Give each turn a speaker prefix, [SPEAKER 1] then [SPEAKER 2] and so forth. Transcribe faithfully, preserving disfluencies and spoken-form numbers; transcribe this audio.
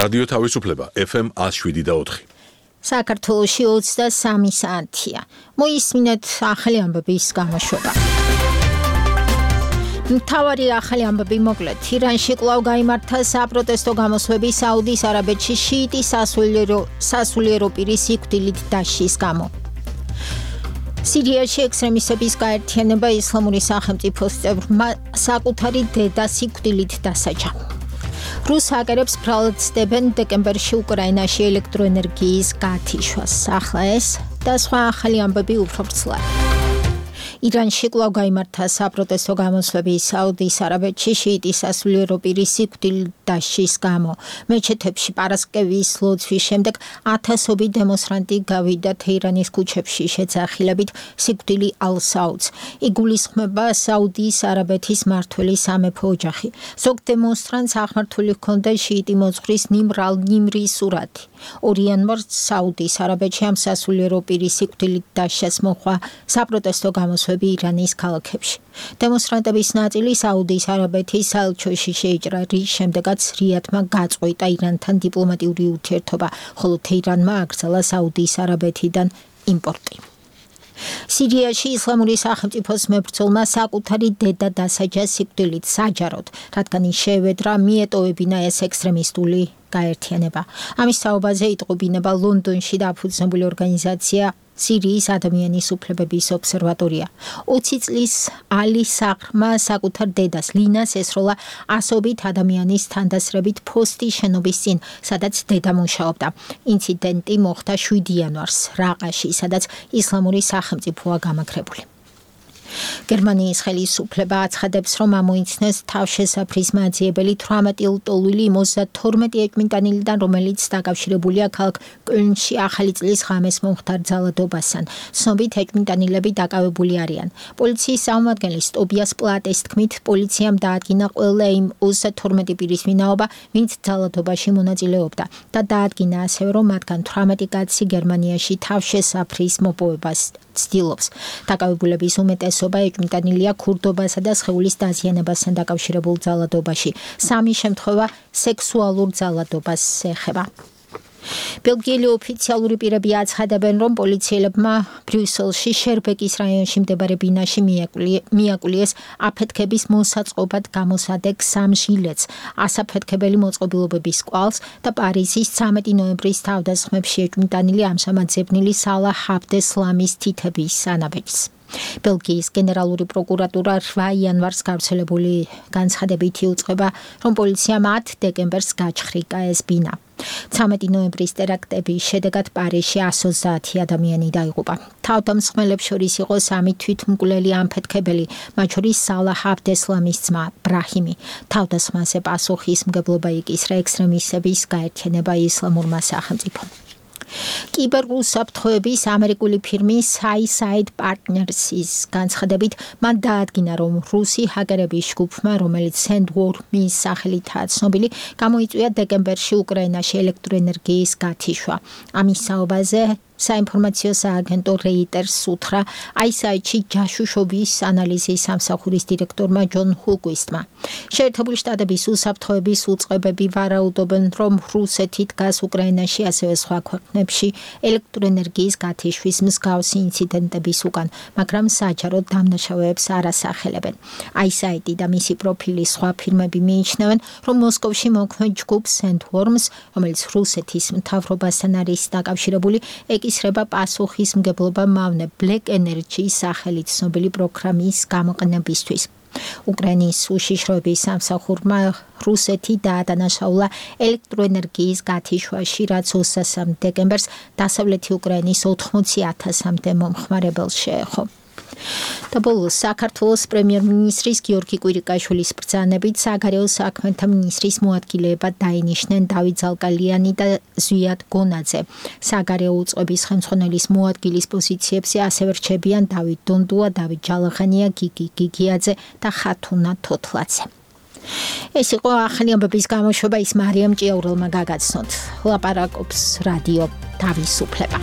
[SPEAKER 1] რადიო თავისუფლება ეფ ემ one oh seven და four.
[SPEAKER 2] საქართველოში ოცდასამი საათია. მოისმინეთ ახალი ამბების გამოშვება. მთავარი ახალი ამბები მოკლედ. ირანში კვლავ გაიმართა საპროტესტო გამოსვლები საუდის არაბეთში შიიტი სასულიერო სასულიერო პირის სიკვდილით დასჯის გამო. სირიაში ექსტრემისტების გაერთიანება ისლამური სახელმწიფოს წევრმა საკუთარი დედა სიკვდილით დასაჯა. რუს ჰაკერებს ბრალად ცდებენ დეკემბერში უკრაინაში ელექტროენერგიის გათიშვას. ახლა ეს და სხვა ახალი ამბები უფრო ვრცლად. ირანში კვლავ გაიმართა საპროტესტო გამოსვლები საუდის არაბეთში შიიტი სასულიერო პირის სიკვდილით დასჯის გამო. მეჩეთებში პარასკევის ლოცვის შემდეგ ათასობით დემონსტრანტი გავიდა თეირანის ქუჩებში შეძახილებით სიკვდილი ალ-საუდს. იგულისხმება საუდის არაბეთის მმართველი სამეფო ოჯახი. ზოგ დემონსტრანტს აღმართული ჰქონდა შიიტი მოძღვრის ნიმრ ალ-ნიმრის სურათი. ორი იანვარს საუდის არაბეთში ამ სასულიერო პირის სიკვდილით დასჯას მოჰყვა საპროტესტო გამოსვლები ირანის ქალაქებში. დემონსტრანტების ნაწილი საუდის არაბეთის საელჩოში შეიჭრა, რის შემდეგაც რიადმა გაწყვიტა ირანთან დიპლომატიური ურთიერთობა, ხოლო თეირანმა აკრძალა საუდის არაბეთიდან იმპორტი. სირიაში ისლამური სახელმწიფოს მებრძოლმა საკუთარი დედა დასაჯა სიკვდილით საჯაროდ, რადგან ის შეევედრა მიეტოვებინა ეს ექსტრემისტული გაერთიანება. ამის თაობაზე იტყობინება ლონდონში დაფუძნებული ორგანიზაცია სირიის ადამიანის უფლებების ობსერვატორია. ოცი წლის ალი საღრმა საკუთარ დედას ლინას ესროლა ასობით ადამიანის თანდასრებით ფოსტის შენობის წინ, სადაც დედა მუშაობდა. ინციდენტი მოხდა შვიდი იანვარს რაყაში, სადაც ისლამური სახელმწიფოა გამაგრებული. გერმანიის ხელისუფლება აცხადებს, რომ ამოიცნეს თავშესაფრის მაძიებელი თვრამეტი ლტოლვილი ოცდათორმეტი ეჭვმიტანილიდან, რომელიც დაკავშირებულია ქალაქ კოლნში ახალი წლის ღამეს მომხდარ ძალადობასთან. ცნობით ეჭვმიტანილები დაკავებული არიან. პოლიციის წარმომადგენლის ტობიას პლატეს თქმით, პოლიციამ დაადგინა ყველა იმ ოცდათორმეტი პირის ვინაობა, ვინც ძალადობაში მონაწილეობდა და დაადგინა ასევე, რომ მათგან თვრამეტი კაცი გერმანიაში თავშესაფრის მოპოვებას ცდილობს. დაკავებულების უმეტესობა ეჭვმიტანილია ქურდობასა და სხეულის დაზიანებასთან დაკავშირებულ ძალადობაში. სამი შემთხვევა სექსუალურ ძალადობას ეხება. ბელგიელი ოფიციალური პირები აცხადებენ, რომ პოლიციელებმა ბრიუსელში შერბეკის რაიონში მდებარე ბინაში მიაკულიეს აფეთქების მოსაწყობად გამოსადეგ სამ ჟილეტს, ასაფეთქებელი მოწყობილობების კვალს და პარიზის ცამეტი ნოემბრის თავდასხმებში ეჭვმიტანილი ამჟამად ძებნილი სალაჰ აბდესლამის თითების ანაბეჭს. ბელგიის გენერალური პროკურატურა რვა იანვარს გავრცელებული განცხადებით იუწყება, რომ პოლიციამ ათ დეკემბერს გაჩხრიკა ეს ბინა. ცამეტი ნოემბრის ტერაქტების შედეგად პარიზში εκατს ოცდაათი ადამიანი დაიღუპა. თავდამსხმელებს შორის იყო სამი თვითმკვლელი ამფეთქებელი, მათ შორის სალაჰ აბდესლამის ძმა ბრაჰიმი. თავდასხმაზე პასუხისმგებლობა იკისრა ექსტრემისტების გაერთიანება ისლამურმა სახელმწიფომ. კიბერუსაფრთხოების ამერიკული ფირმის Suicide Partners-ის განცხადებით, მან დაადგინა, რომ რუსი ჰაკერების ჯგუფმა, რომელიც Sandworm-ის სახელითაა ცნობილი, გამოიწვია დეკემბერში უკრაინაში ელექტროენერგიის გათიშვა. ამის საუბაზე საინფორმაციო სააგენტო რეიტერს უთხრა აი ეს აი-ში ჯაშუშობის ანალიზის სამსახურის დირექტორმა ჯონ ჰულკვისტმა. შეერთებული შტატების უსაფრთხოების უწყებები ვარაუდობენ, რომ რუსეთი დგას უკრაინაში, ასევე სხვა ქვეყნებში ელექტროენერგიის გათიშვის მსგავსი ინციდენტების უკან, მაგრამ საჯაროდ დამნაშავეებს არ ასახელებენ. აი ეს აი და მისი პროფილის სხვა ფირმები მიიჩნევენ, რომ მოსკოვში მოქმედ ჯგუფ Sandworms, რომელიც რუსეთის მთავრობასთან არის დაკავშირებული, ეკისრება პასუხისმგებლობა მავნე Black Energy-ის სახელით ცნობილი პროგრამის გამოყენებისთვის. უკრაინის უშიშროების სამსახურმა რუსეთი დაადანაშაულა ელექტროენერგიის გათიშვაში, რაც ოცდასამი დეკემბერს დასავლეთი უკრაინის ოთხმოცი ათასამდე მომხმარებელს შეეხო. და ბოლოს საქართველოს პრემიერ-მინისტრის გიორგი კვირიკაშვილის ბრძანებით საგარეო საქმეთა მინისტრის მოადგილეებად დაინიშნენ დავით ზალკალიანი და ზვიად გონაძე. საგარეო უწყების ხელმძღვანელის მოადგილის პოზიციებზე ასევე რჩებიან დავით დონდუა, დავით ჯალაღანია, გიგი გიგიაძე და ხათუნა თოთლაძე. ეს იყო ახალი ამბების გამოშვება, ის მარიამ ჭიაურელმა გაგაცნოთ. ლაპარაკობს რადიო თავისუფლება.